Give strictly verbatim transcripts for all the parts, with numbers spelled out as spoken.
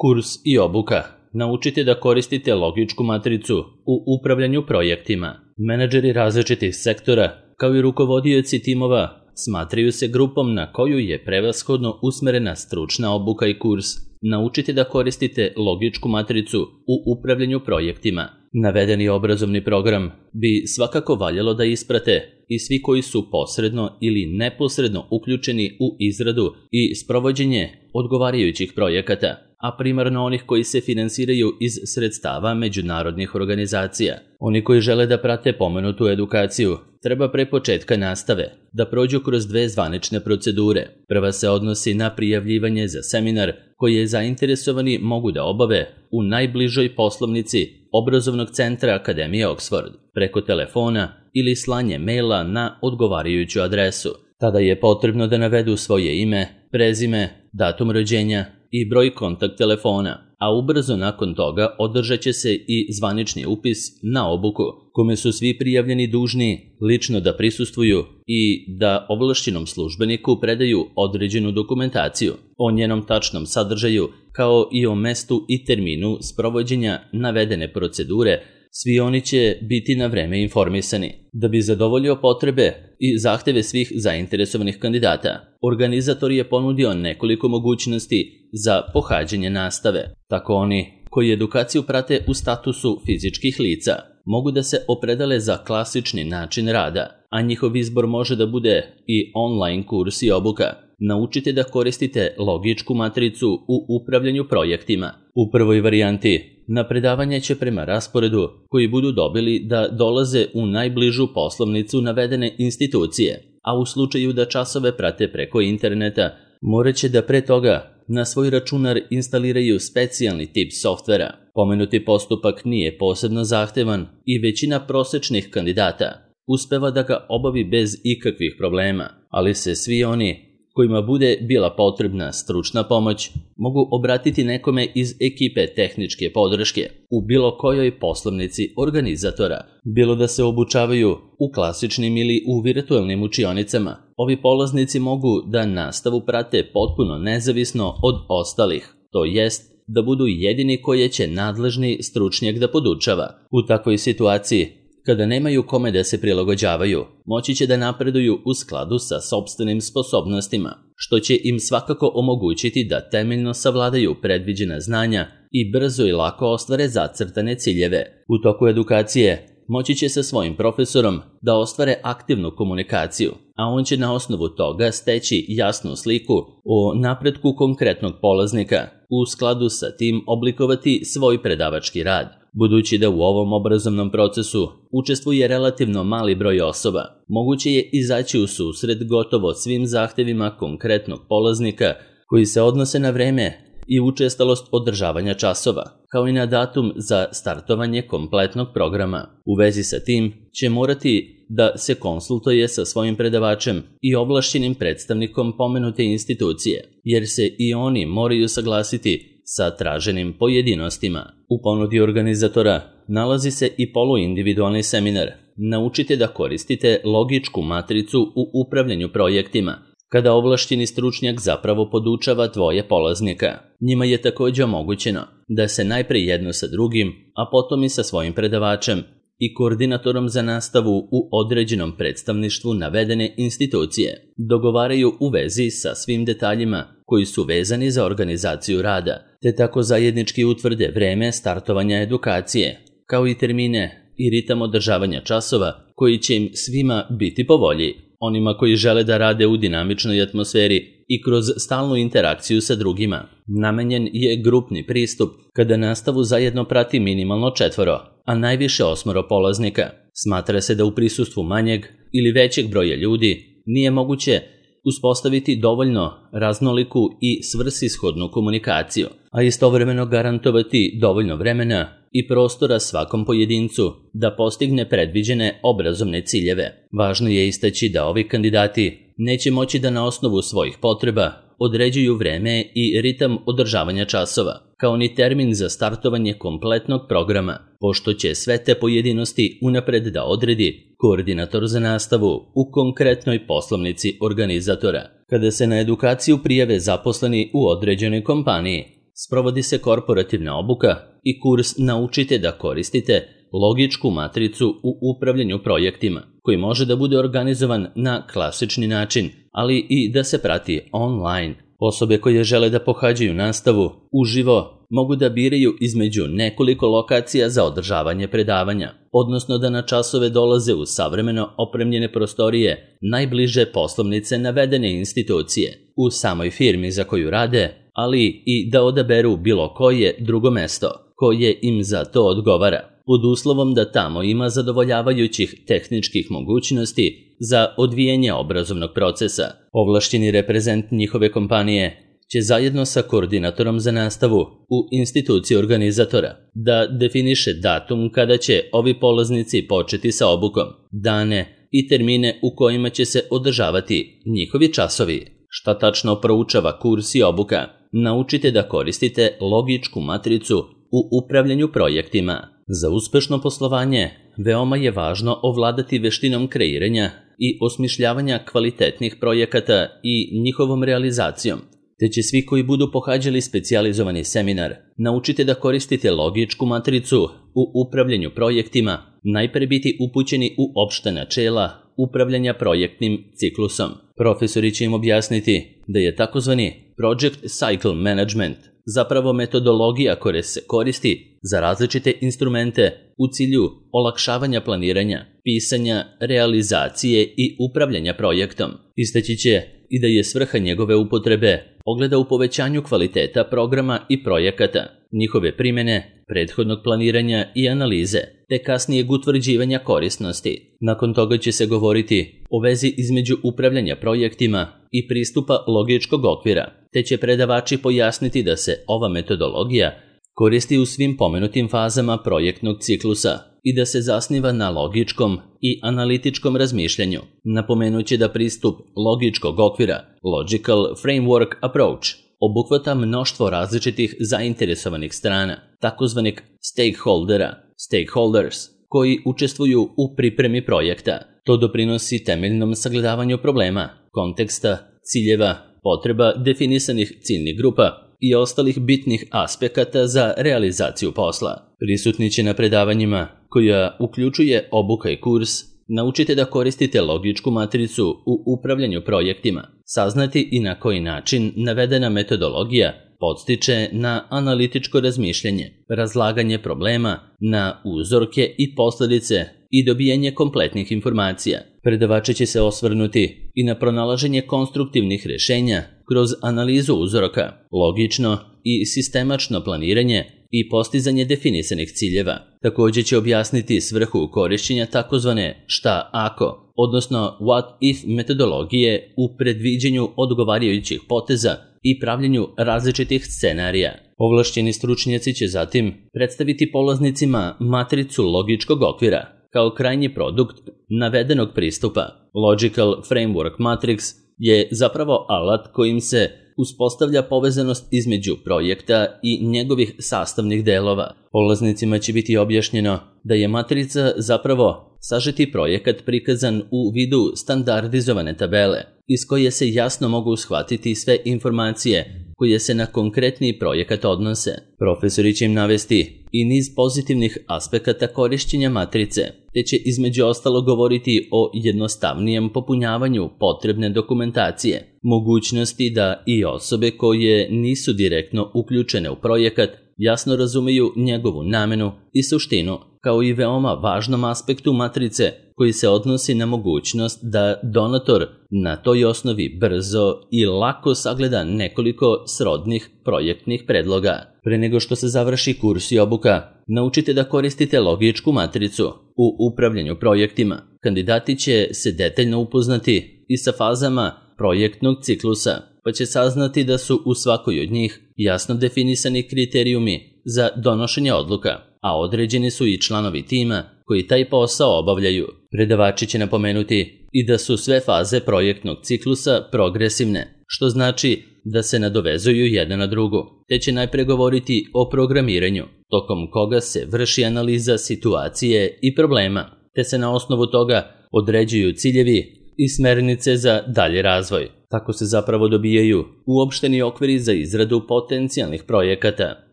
Kurs i obuka. Naučite da koristite logičku matricu u upravljanju projektima. Menadžeri različitih sektora, kao i rukovodioci timova, smatraju se grupom na koju je prevashodno usmerena stručna obuka i kurs. Naučite da koristite logičku matricu u upravljanju projektima. Navedeni obrazovni program bi svakako valjalo da isprate i svi koji su posredno ili neposredno uključeni u izradu i sprovođenje odgovarajućih projekata, a primarno onih koji se finansiraju iz sredstava međunarodnih organizacija. Oni koji žele da prate pomenutu edukaciju treba pre početka nastave da prođu kroz dve zvanične procedure. Prva se odnosi na prijavljivanje za seminar koje zainteresovani mogu da obave u najbližoj poslovnici obrazovnog centra Akademije Oxford preko telefona ili slanje maila na odgovarajuću adresu. Tada je potrebno da navedu svoje ime, prezime, datum rođenja i broj kontakt telefona, a ubrzo nakon toga održat će se i zvanični upis na obuku, kome su svi prijavljeni dužni lično da prisustvuju i da ovlašćenom službeniku predaju određenu dokumentaciju o njenom tačnom sadržaju, kao i o mestu i terminu sprovođenja navedene procedure. Svi oni će biti na vreme informisani. Da bi zadovoljio potrebe i zahteve svih zainteresovanih kandidata, organizator je ponudio nekoliko mogućnosti za pohađanje nastave. Tako oni koji edukaciju prate u statusu fizičkih lica mogu da se opredele za klasični način rada, a njihov izbor može da bude i online kurs i obuka. Naučite da koristite logičku matricu u upravljanju projektima. U prvoj varijanti na predavanje će prema rasporedu koji budu dobili da dolaze u najbližu poslovnicu navedene institucije, a u slučaju da časove prate preko interneta, morat će da pre toga na svoj računar instaliraju specijalni tip softvera. Pomenuti postupak nije posebno zahtevan i većina prosečnih kandidata uspeva da ga obavi bez ikakvih problema, ali se svi oni kojima bude bila potrebna stručna pomoć mogu obratiti nekome iz ekipe tehničke podrške u bilo kojoj poslovnici organizatora. Bilo da se obučavaju u klasičnim ili u virtualnim učionicama, ovi polaznici mogu da nastavu prate potpuno nezavisno od ostalih, to jest da budu jedini koje će nadležni stručnjak da podučava. U takvoj situaciji, kada nemaju kome da se prilagođavaju, moći će da napreduju u skladu sa sopstvenim sposobnostima, što će im svakako omogućiti da temeljno savladaju predviđena znanja i brzo i lako ostvare zacrtane ciljeve. U toku edukacije moći će sa svojim profesorom da ostvare aktivnu komunikaciju, a on će na osnovu toga steći jasnu sliku o napretku konkretnog polaznika, u skladu sa tim oblikovati svoj predavački rad. Budući da u ovom obrazovnom procesu učestvuje relativno mali broj osoba, moguće je izaći u susret gotovo svim zahtevima konkretnog polaznika koji se odnose na vreme i učestalost održavanja časova, kao i na datum za startovanje kompletnog programa. U vezi sa tim će morati da se konsultuje sa svojim predavačem i ovlašćenim predstavnikom pomenute institucije, jer se i oni moraju saglasiti sa traženim pojedinostima. U ponudi organizatora nalazi se i poluindividualni seminar. Naučite da koristite logičku matricu u upravljanju projektima, kada ovlašćeni stručnjak zapravo podučava dvoje polaznika. Njima je također omogućeno da se najpre jedno sa drugim, a potom i sa svojim predavačem i koordinatorom za nastavu u određenom predstavništvu navedene institucije dogovaraju u vezi sa svim detaljima koji su vezani za organizaciju rada, te tako zajednički utvrde vreme startovanja edukacije, kao i termine i ritam održavanja časova koji će im svima biti po volji. Onima koji žele da rade u dinamičnoj atmosferi i kroz stalnu interakciju sa drugima, namenjen je grupni pristup kada nastavu zajedno prati minimalno četvoro, a najviše osmoro polaznika. Smatra se da u prisustvu manjeg ili većeg broja ljudi nije moguće uspostaviti dovoljno raznoliku i svrsishodnu komunikaciju, a istovremeno garantovati dovoljno vremena i prostora svakom pojedincu da postigne predviđene obrazovne ciljeve. Važno je istaći da ovi kandidati neće moći da na osnovu svojih potreba određuju vreme i ritam održavanja časova, kao ni termin za startovanje kompletnog programa, pošto će sve te pojedinosti unapred da odredi koordinator za nastavu u konkretnoj poslovnici organizatora. Kada se na edukaciju prijave zaposleni u određenoj kompaniji, sprovodi se korporativna obuka i kurs Naučite da koristite logičku matricu u upravljanju projektima, koji može da bude organizovan na klasični način, ali i da se prati online. Osobe koje žele da pohađaju nastavu uživo mogu da biraju između nekoliko lokacija za održavanje predavanja, odnosno da na časove dolaze u savremeno opremljene prostorije najbliže poslovnice navedene institucije u samoj firmi za koju rade, ali i da odaberu bilo koje drugo mesto koje im za to odgovara, pod uslovom da tamo ima zadovoljavajućih tehničkih mogućnosti za odvijanje obrazovnog procesa. Ovlašćeni reprezent njihove kompanije će zajedno sa koordinatorom za nastavu u instituciji organizatora da definiše datum kada će ovi polaznici početi sa obukom, dane i termine u kojima će se održavati njihovi časovi. Šta tačno proučava kurs i obuka? Naučite da koristite logičku matricu u upravljanju projektima. Za uspešno poslovanje veoma je važno ovladati veštinom kreiranja i osmišljavanja kvalitetnih projekata i njihovom realizacijom, te će svi koji budu pohađali specijalizovani seminar Naučite da koristite logičku matricu u upravljanju projektima najpre biti upućeni u opšta načela upravljanja projektnim ciklusom. Profesori će im objasniti da je takozvani Project Cycle Management zapravo metodologija koja se koristi za različite instrumente u cilju olakšavanja planiranja, pisanja, realizacije i upravljanja projektom. Istaći će i da je svrha njegove upotrebe ogleda u povećanju kvaliteta programa i projekata, njihove primene, prethodnog planiranja i analize, te kasnijeg utvrđivanja korisnosti. Nakon toga će se govoriti o vezi između upravljanja projektima i pristupa logičkog okvira, te će predavači pojasniti da se ova metodologija koristi u svim pomenutim fazama projektnog ciklusa i da se zasniva na logičkom i analitičkom razmišljanju. Napomenuće da pristup logičkog okvira, Logical Framework Approach, obuhvata mnoštvo različitih zainteresovanih strana, takozvanih stakeholdera, stakeholders, koji učestvuju u pripremi projekta. To doprinosi temeljnom sagledavanju problema, konteksta, ciljeva, potreba definisanih ciljnih grupa i ostalih bitnih aspekata za realizaciju posla. Prisutni će na predavanjima, koja uključuje obuka i kurs, Naučite da koristite logičku matricu u upravljanju projektima, saznati i na koji način navedena metodologija podstiče na analitičko razmišljanje, razlaganje problema na uzorke i posledice i dobijanje kompletnih informacija. Predavači će se osvrnuti i na pronalaženje konstruktivnih rešenja kroz analizu uzorka, logično i sistemačno planiranje i postizanje definisanih ciljeva. Također će objasniti svrhu korišćenja takozvane šta ako, odnosno what if metodologije u predviđenju odgovarajućih poteza i pravljenju različitih scenarija. Ovlašćeni stručnjaci će zatim predstaviti polaznicima matricu logičkog okvira kao krajnji produkt navedenog pristupa. Logical Framework Matrix je zapravo alat kojim se uspostavlja povezanost između projekta i njegovih sastavnih delova. Polaznicima će biti objašnjeno da je matrica zapravo sažeti projekat prikazan u vidu standardizovane tabele, iz koje se jasno mogu shvatiti sve informacije koje se na konkretni projekat odnose. Profesori će im navesti i niz pozitivnih aspekata korišćenja matrice, te će između ostalo govoriti o jednostavnijem popunjavanju potrebne dokumentacije, mogućnosti da i osobe koje nisu direktno uključene u projekat jasno razumeju njegovu namenu i suštinu, kao i veoma važnom aspektu matrice koji se odnosi na mogućnost da donator na toj osnovi brzo i lako sagleda nekoliko srodnih projektnih predloga. Pre nego što se završi kurs i obuka, naučite da koristite logičku matricu u upravljanju projektima. Kandidati će se detaljno upoznati i sa fazama projektnog ciklusa, pa će saznati da su u svakoj od njih jasno definisani kriterijumi za donošenje odluka, a određeni su i članovi tima koji taj posao obavljaju. Predavači će napomenuti i da su sve faze projektnog ciklusa progresivne, što znači da se nadovezuju jedna na drugu, te će najpre govoriti o programiranju, tokom koga se vrši analiza situacije i problema, te se na osnovu toga određuju ciljevi i smernice za dalji razvoj. Tako se zapravo dobijaju uopšteni okviri za izradu potencijalnih projekata.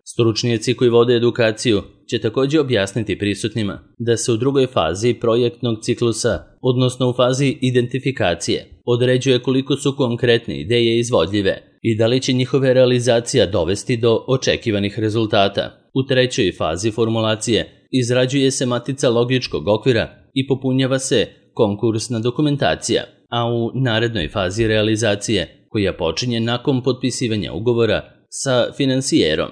Stručnjaci koji vode edukaciju će također objasniti prisutnima da se u drugoj fazi projektnog ciklusa, odnosno u fazi identifikacije, određuje koliko su konkretne ideje izvodljive i da li će njihove realizacija dovesti do očekivanih rezultata. U trećoj fazi formulacije izrađuje se matica logičkog okvira i popunjava se konkursna dokumentacija, a u narednoj fazi realizacije, koja počinje nakon potpisivanja ugovora sa finansijerom,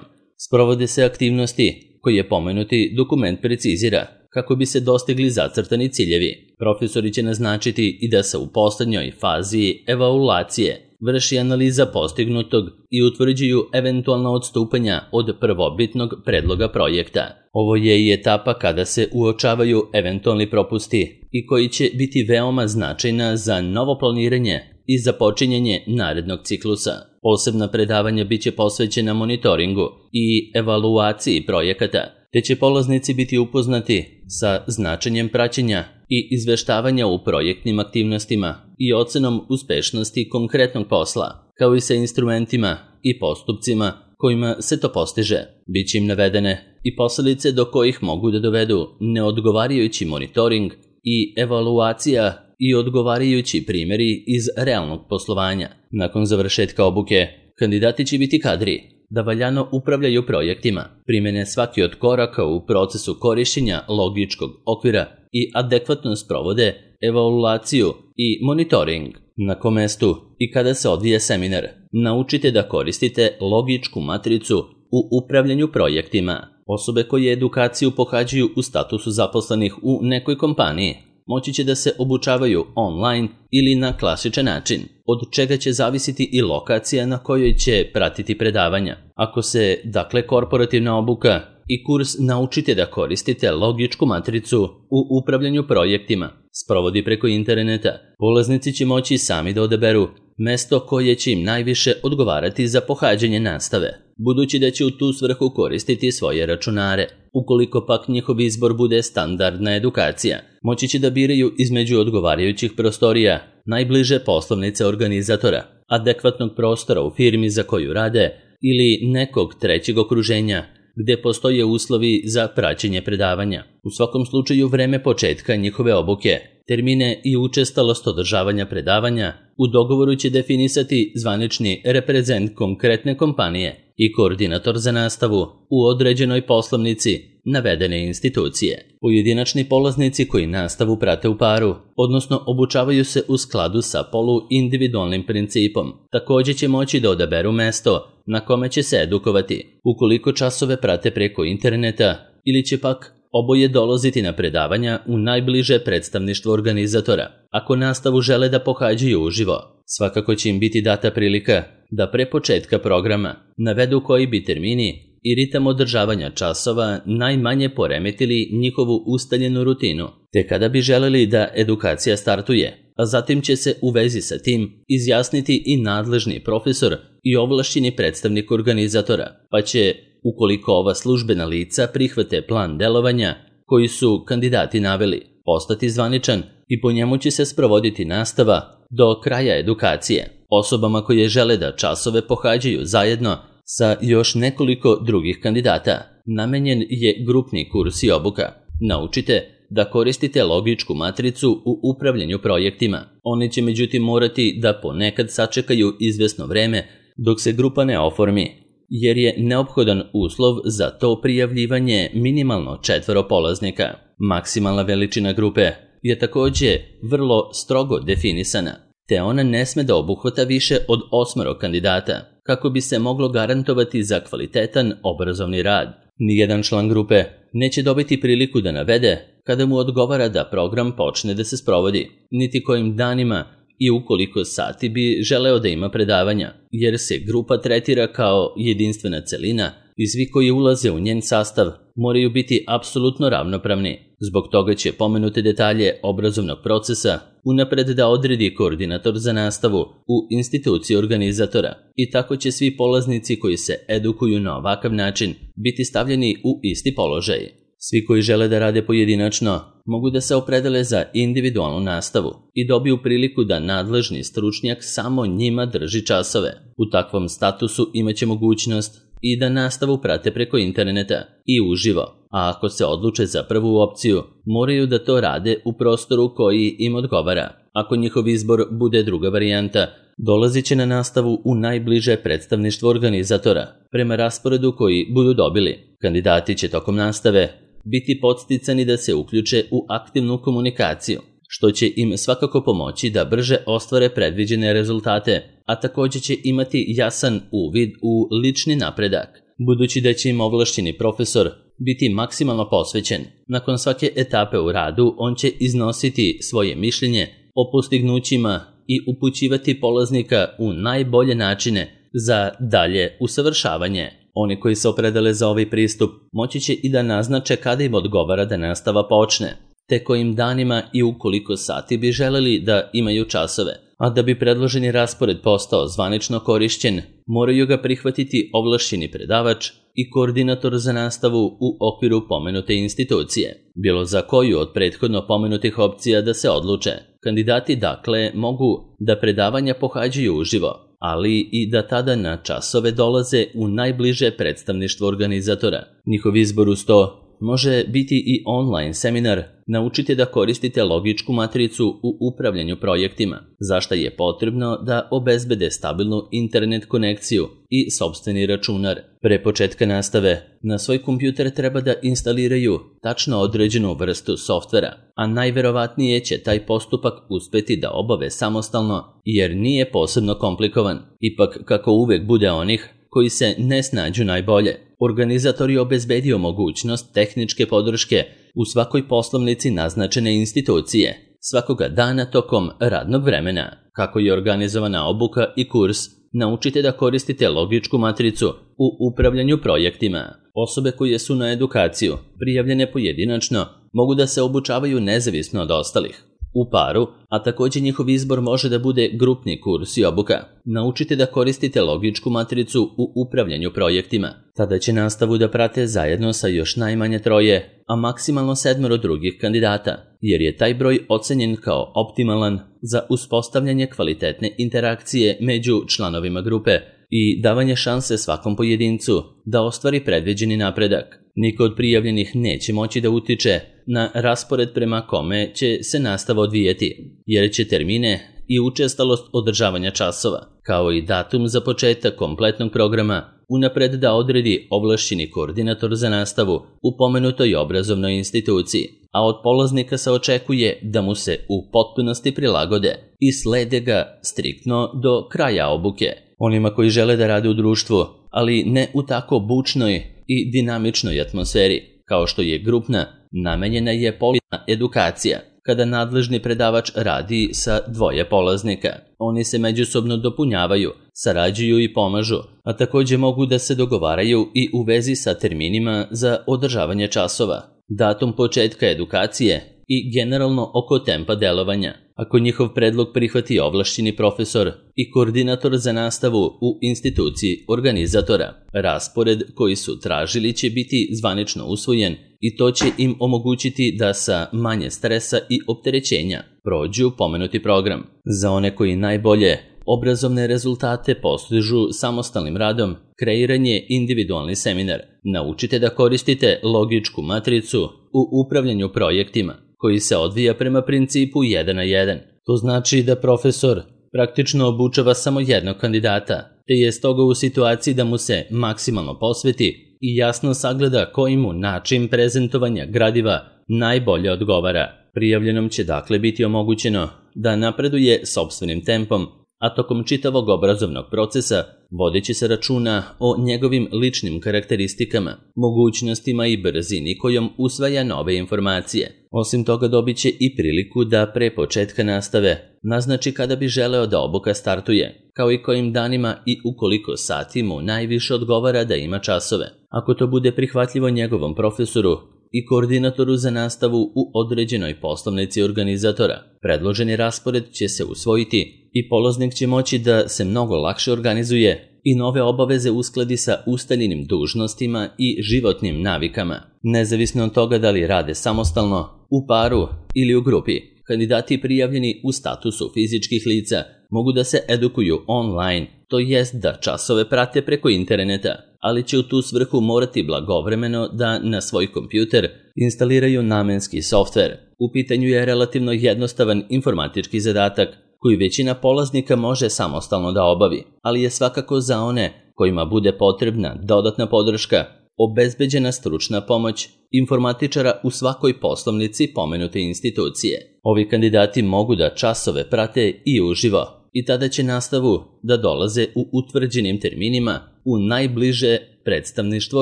sprovode se aktivnosti koje pomenuti dokument precizira kako bi se dostigli zacrtani ciljevi. Profesori će naznačiti i da se u poslednjoj fazi evaluacije vrši analiza postignutog i utvrđuju eventualna odstupanja od prvobitnog predloga projekta. Ovo je i etapa kada se uočavaju eventualni propusti i koji će biti veoma značajna za novo planiranje i započinjanje narednog ciklusa. Posebna predavanja biće posvećena monitoringu i evaluaciji projekata, te će polaznici biti upoznati sa značenjem praćenja i izveštavanja u projektnim aktivnostima i ocenom uspešnosti konkretnog posla, kao i sa instrumentima i postupcima kojima se to postiže. Biće im navedene i posledice do kojih mogu da dovedu neodgovarajući monitoring i evaluacija i odgovarajući primjeri iz realnog poslovanja. Nakon završetka obuke, kandidati će biti kadri da valjano upravljaju projektima, primene svaki od koraka u procesu korišćenja logičkog okvira i adekvatno sprovode evaluaciju i monitoring. Na kom mestu i kada se odvija seminar, naučite da koristite logičku matricu u upravljanju projektima. Osobe koje edukaciju pohađaju u statusu zaposlenih u nekoj kompaniji moći će da se obučavaju online ili na klasičan način, od čega će zavisiti i lokacija na kojoj će pratiti predavanja. Ako se, dakle, korporativna obuka i kurs naučite da koristite logičku matricu u upravljanju projektima sprovodi preko interneta, polaznici će moći sami da odaberu mesto koje će im najviše odgovarati za pohađanje nastave, budući da će u tu svrhu koristiti svoje računare. Ukoliko pak njihov izbor bude standardna edukacija, moći će da biraju između odgovarajućih prostorija, najbliže poslovnice organizatora, adekvatnog prostora u firmi za koju rade ili nekog trećeg okruženja gde postoje uslovi za praćenje predavanja. U svakom slučaju vreme početka njihove obuke, termine i učestalost održavanja predavanja u dogovoru će definisati zvanični reprezent konkretne kompanije i koordinator za nastavu u određenoj poslovnici navedene institucije. Pojedinačni polaznici koji nastavu prate u paru, odnosno obučavaju se u skladu sa poluindividualnim principom, također će moći da odaberu mesto na kome će se edukovati, ukoliko časove prate preko interneta ili će pak oboje dolaziti na predavanja u najbliže predstavništvo organizatora. Ako nastavu žele da pohađaju uživo, svakako će im biti data prilika da pre početka programa navedu koji bi termini i ritam održavanja časova najmanje poremetili njihovu ustaljenu rutinu, te kada bi želeli da edukacija startuje, a zatim će se u vezi sa tim izjasniti i nadležni profesor i ovlašćeni predstavnik organizatora, pa će, ukoliko ova službena lica prihvate plan delovanja koji su kandidati naveli, postati zvaničan i po njemu će se sprovoditi nastava do kraja edukacije. Osobama koje žele da časove pohađaju zajedno sa još nekoliko drugih kandidata namenjen je grupni kurs i obuka. Naučite da koristite logičku matricu u upravljanju projektima. Oni će međutim morati da ponekad sačekaju izvesno vreme dok se grupa ne oformi, jer je neophodan uslov za to prijavljivanje minimalno četvoro polaznika. Maksimalna veličina grupe je također vrlo strogo definisana, te ona ne sme da obuhvata više od osmero kandidata, kako bi se moglo garantovati za kvalitetan obrazovni rad. Nijedan član grupe neće dobiti priliku da navede kada mu odgovara da program počne da se sprovodi, niti kojim danima i ukoliko sati bi želeo da ima predavanja, jer se grupa tretira kao jedinstvena celina i svi koji ulaze u njen sastav moraju biti apsolutno ravnopravni. Zbog toga će pomenute detalje obrazovnog procesa unapred da odredi koordinator za nastavu u instituciji organizatora i tako će svi polaznici koji se edukuju na ovakav način biti stavljeni u isti položaj. Svi koji žele da rade pojedinačno mogu da se opredele za individualnu nastavu i dobiju priliku da nadležni stručnjak samo njima drži časove. U takvom statusu imaće mogućnost i da nastavu prate preko interneta i uživo, a ako se odluče za prvu opciju, moraju da to rade u prostoru koji im odgovara. Ako njihov izbor bude druga varijanta, dolazit će na nastavu u najbliže predstavništvo organizatora, prema rasporedu koji budu dobili. Kandidati će tokom nastave biti podsticani da se uključe u aktivnu komunikaciju, što će im svakako pomoći da brže ostvare predviđene rezultate, a također će imati jasan uvid u lični napredak, budući da će im ovlašćeni profesor biti maksimalno posvećen. Nakon svake etape u radu on će iznositi svoje mišljenje o postignućima i upućivati polaznika u najbolje načine za dalje usavršavanje. Oni koji se opredele za ovaj pristup moći će i da naznače kada im odgovara da nastava počne, te kojim danima i u koliko sati bi želeli da imaju časove, a da bi predloženi raspored postao zvanično korišćen, moraju ga prihvatiti ovlašćeni predavač i koordinator za nastavu u okviru pomenute institucije. Bilo za koju od prethodno pomenutih opcija da se odluče. Kandidati dakle mogu da predavanja pohađaju uživo, ali i da tada na časove dolaze u najbliže predstavništvo organizatora. Njihov izbor uz to može biti i online seminar Naučite da koristite logičku matricu u upravljanju projektima, za šta je potrebno da obezbede stabilnu internet konekciju i sopstveni računar. Pre početka nastave, na svoj kompjuter treba da instaliraju tačno određenu vrstu softvera, a najverovatnije će taj postupak uspeti da obave samostalno jer nije posebno komplikovan. Ipak, kako uvek bude onih koji se ne snađu najbolje, organizator je obezbedio mogućnost tehničke podrške u svakoj poslovnici naznačene institucije, svakoga dana tokom radnog vremena. Kako je organizovana obuka i kurs Naučite da koristite logičku matricu u upravljanju projektima. Osobe koje su na edukaciju prijavljene pojedinačno mogu da se obučavaju nezavisno od ostalih, u paru, a također njihov izbor može da bude grupni kurs i obuka. Naučite da koristite logičku matricu u upravljanju projektima. Tada će nastavu da prate zajedno sa još najmanje troje, a maksimalno sedmero drugih kandidata, jer je taj broj ocenjen kao optimalan za uspostavljanje kvalitetne interakcije među članovima grupe i davanje šanse svakom pojedincu da ostvari predviđeni napredak. Niko od prijavljenih neće moći da utiče na raspored prema kome će se nastava odvijeti, jer će termine i učestalost održavanja časova, kao i datum za početak kompletnog programa, unapred da odredi ovlašćeni koordinator za nastavu u pomenutoj obrazovnoj instituciji, a od polaznika se očekuje da mu se u potpunosti prilagode i slede ga striktno do kraja obuke. Onima koji žele da rade u društvu, ali ne u tako bučnoj i dinamičnoj atmosferi, kao što je grupna, namenjena je polazna edukacija, kada nadležni predavač radi sa dvoje polaznika. Oni se međusobno dopunjavaju, sarađuju i pomažu, a također mogu da se dogovaraju i u vezi sa terminima za održavanje časova, datum početka edukacije i generalno oko tempa delovanja. Ako njihov predlog prihvati ovlašćeni profesor i koordinator za nastavu u instituciji organizatora, raspored koji su tražili će biti zvanično usvojen i to će im omogućiti da sa manje stresa i opterećenja prođu pomenuti program. Za one koji najbolje obrazovne rezultate postižu samostalnim radom, kreiran je individualni seminar Naučite da koristite logičku matricu u upravljanju projektima, koji se odvija prema principu jedan na jedan. To znači da profesor praktično obučava samo jednog kandidata, te je stoga u situaciji da mu se maksimalno posveti i jasno sagleda koji mu način prezentovanja gradiva najbolje odgovara. Prijavljenom će dakle biti omogućeno da napreduje sopstvenim tempom, a tokom čitavog obrazovnog procesa vodeći se računa o njegovim ličnim karakteristikama, mogućnostima i brzini kojom usvaja nove informacije. Osim toga dobit će i priliku da pre početka nastave naznači kada bi želeo da obuka startuje, kao i kojim danima i u koliko sati mu najviše odgovara da ima časove. Ako to bude prihvatljivo njegovom profesoru, i koordinatoru za nastavu u određenoj poslovnici organizatora. Predloženi raspored će se usvojiti i polaznik će moći da se mnogo lakše organizuje i nove obaveze uskladi sa ustaljenim dužnostima i životnim navikama. Nezavisno od toga da li rade samostalno, u paru ili u grupi, kandidati prijavljeni u statusu fizičkih lica mogu da se edukuju online, to jest da časove prate preko interneta, ali će u tu svrhu morati blagovremeno da na svoj kompjuter instaliraju namenski softver. U pitanju je relativno jednostavan informatički zadatak koji većina polaznika može samostalno da obavi, ali je svakako za one kojima bude potrebna dodatna podrška obezbeđena stručna pomoć informatičara u svakoj poslovnici pomenute institucije. Ovi kandidati mogu da časove prate i uživo i tada će nastavu da dolaze u utvrđenim terminima u najbliže predstavništvo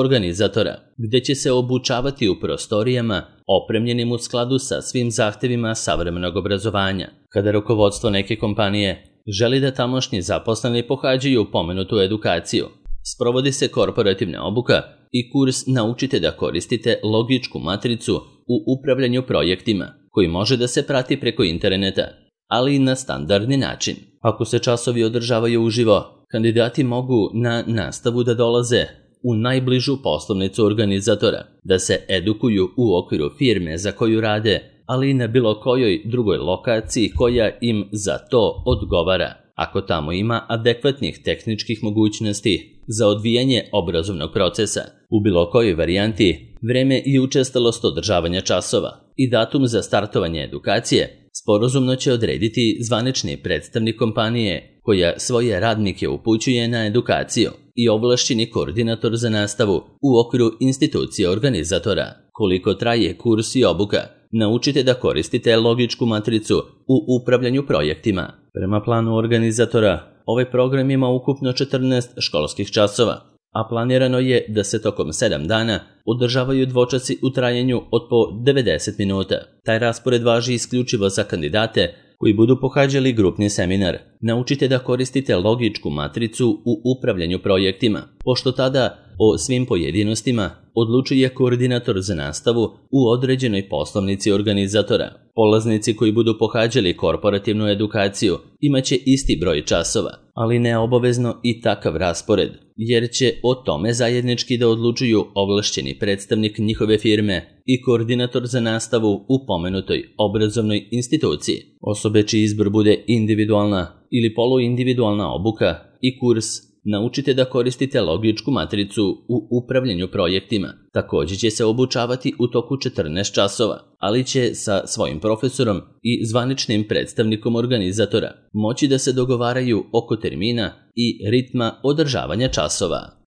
organizatora, gde će se obučavati u prostorijama opremljenim u skladu sa svim zahtevima savremenog obrazovanja. Kada rukovodstvo neke kompanije želi da tamošnji zaposleni pohađaju pomenutu edukaciju, sprovodi se korporativna obuka i kurs Naučite da koristite logičku matricu u upravljanju projektima, koji može da se prati preko interneta, ali i na standardni način. Ako se časovi održavaju uživo, kandidati mogu na nastavu da dolaze u najbližu poslovnicu organizatora, da se edukuju u okviru firme za koju rade, ali i na bilo kojoj drugoj lokaciji koja im za to odgovara, ako tamo ima adekvatnih tehničkih mogućnosti za odvijanje obrazovnog procesa. U bilo kojoj varijanti, vreme i učestalost održavanja časova i datum za startovanje edukacije sporazumno će odrediti zvanični predstavnik kompanije koja svoje radnike upućuje na edukaciju i ovlašćeni koordinator za nastavu u okviru institucije organizatora. Koliko traje kurs i obuka, naučite da koristite logičku matricu u upravljanju projektima. Prema planu organizatora, ovaj program ima ukupno četrnaest školskih časova, a planirano je da se tokom sedam dana održavaju dvočasi u trajanju od po devedeset minuta. Taj raspored važi isključivo za kandidate koji budu pohađali grupni seminar. Naučite da koristite logičku matricu u upravljanju projektima, pošto tada o svim pojedinostima odlučuje koordinator za nastavu u određenoj poslovnici organizatora. Polaznici koji budu pohađali korporativnu edukaciju imaće isti broj časova, ali ne obavezno i takav raspored, jer će o tome zajednički da odlučuju ovlašćeni predstavnik njihove firme i koordinator za nastavu u pomenutoj obrazovnoj instituciji. Osobe čiji izbor bude individualna ili poluindividualna obuka i kurs Naučite da koristite logičku matricu u upravljanju projektima. Također će se obučavati u toku četrnaest časova, ali će sa svojim profesorom i zvaničnim predstavnikom organizatora moći da se dogovaraju oko termina i ritma održavanja časova.